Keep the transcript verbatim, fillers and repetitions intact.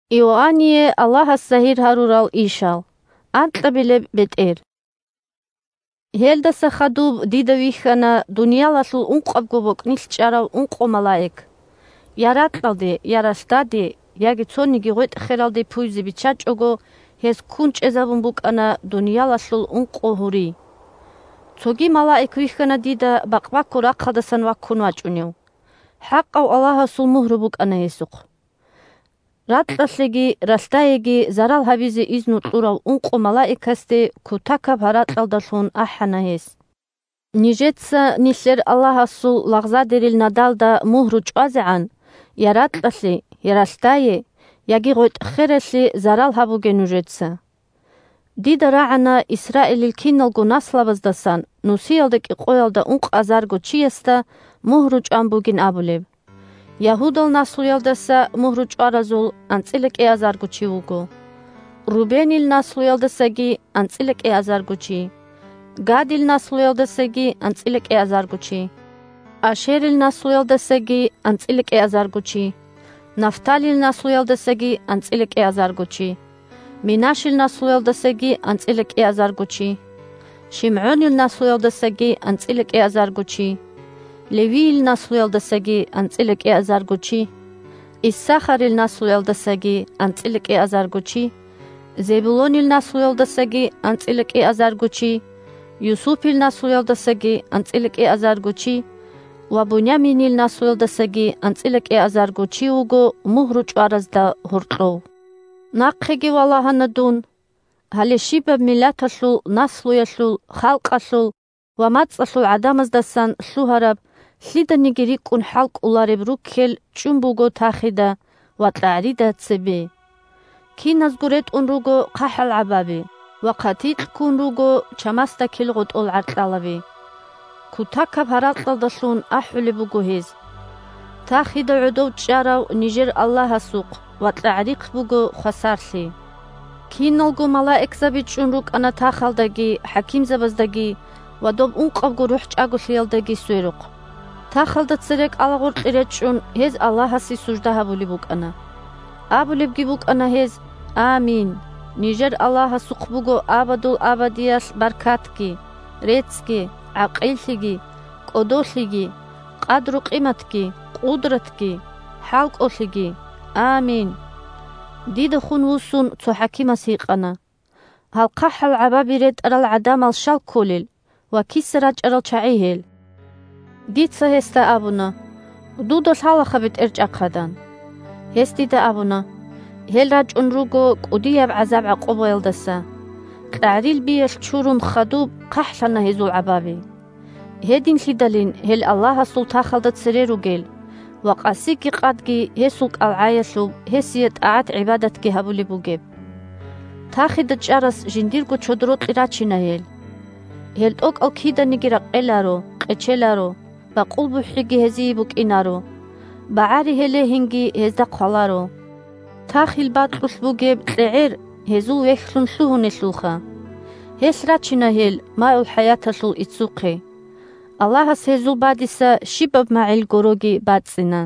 Иоанние Аллагьас загьир гьарурал ишал. Анкьабилеб бетӀер. Гьелдаса хадуб дида вихьана дуниялалъул ункъабго бокӀнилъ чӀарал ункъо малаик. Я ракьалде, я ралъдаде, яги цониги гъветӀ-хералде пуйзе биччачӀого, гьез ккун чӀезабун букӀана дуниялалъул ункъо гьури. Цоги малаик вихьана дида бакъбаккун рахъалдасан ваккун вачӀунев. ХӀакъав Аллагьасул мугьру букӀана гьесухъ. Ракьалъеги ралъдаеги зарал гьабизе изну кьурав ункъо малаикасде кутакаб гьаракьалдалъун ахӀана гьес: «Нижеца нилъер Аллагьасул лагъзадерил надалда мугьру чӀвазегӀан, я ракьалъе, я ралъдае, яги гъветӀ-хералъе зарал гьабуге нужеца». Дида рагӀана Исраилил киналго наслабаздасан нусиялда кӀикъоялда ункъазарго чиясда мугьру чӀван бугин абулеб. Ягьудал наслуялдаса мугьру чӀваразул анцӀила кӀиазарго чи вуго. Рубенил наслуялдасаги анцӀила кӀиазарго чи. Гадил наслуялдасаги анцӀила кӀиазарго чи. Ашерил наслуялдасаги анцӀила кӀиазарго чи. Нафталил наслуялдасаги анцӀила кӀиазарго чи. Минашил наслуялдасаги анцӀила кӀиазарго чи. ШимгӀунил наслуялдасаги анцӀила кӀиазарго чи. Левийил наслуялдасаги анцӀила кӀиазарго чи. Иссахарил наслуялдасаги анцӀила кӀиазарго чи. Зебулонил наслуялдасаги анцӀила кӀиазарго чи. Юсупил наслуялдасаги анцӀила кӀиазарго чи. Ва Буняминил наслуялдасаги анцӀила кӀиазарго чи вуго мугьру чӀваразда гьоркьов. Нахъеги валагьана дун. Гьале щибаб миллаталъул, наслуялъул, халкъалъул ва мацӀалъул гӀадамаздасан лъугьараб, лъиданиги рикӀкӀун хӀалкӀолареб руккел чӀун буго тахида ва кьагӀрида цебе. Киназго ретӀун руго хъахӀал гӀабаби ва хъатикь ккун руго чамасда килгъутӀул гӀаркьалаби. Кутакаб гьаракьалдалъун ахӀулеб буго гьез: «Тахида гӀодов чӀарав нижер Аллагьасухъ ва кьагӀрихъ буго хвасарлъи». Киналго малаикзаби чӀун рукӀана тахалдаги, хӀакимзабаздаги ва доб ункъабго рухӀчӀаголъиялдаги сверухъ. Тахалда цере кӀалагъоркье речӀчӀун, гьез Аллагьасе сужда гьабулеб букӀана. Абулебги букӀана гьез: «Амин! Нижер Аллагьасухъ буго абадул абадиялъ баркатги, реццги, гӀакъиллъиги, кӀодолъиги, къадру-къиматги, къудратги, хӀалкӀолъиги. Амин!» Дида хун вуссун цо хӀакимас гьикъана: «Гьал хъахӀал гӀабаби ретӀарал гӀадамал щал кколел ва киса рачӀарал чагӀи гьел?» Дица гьесда абуна: «Дуда лъалаха, бетӀерчӀахъадан». Гьес дида абуна: «Гьел рачӀун руго кӀудияб гӀазаб-гӀакъубаялдаса. КьагӀрил биялъ чурун хадуб хъахӀлъана гьезул гӀабаби. Гьединлъидалин гьел Аллагьасул тахалда цере ругел ва къасиги къадги гьесул кӀалгӀаялъуб гьесие тӀагӀат-гӀибадатги гьабулеб бугеб. Тахида чӀарас жиндирго чодорокье рачина гьел. Гьел тӀокӀал киданиги ракъеларо, къечеларо, бакъул бухӀиги гьезие букӀинаро, багӀари гьелегьинги гьезда хъваларо. Тахил бакьулъ бугеб кьегӀер гьезул вехьлъун лъугьунелъулха. Гьелъ рачина гьел маул хӀаяталъул иццухъе. Аллагьас гьезул бадиса щибаб магӀил гороги бацӀцӀина».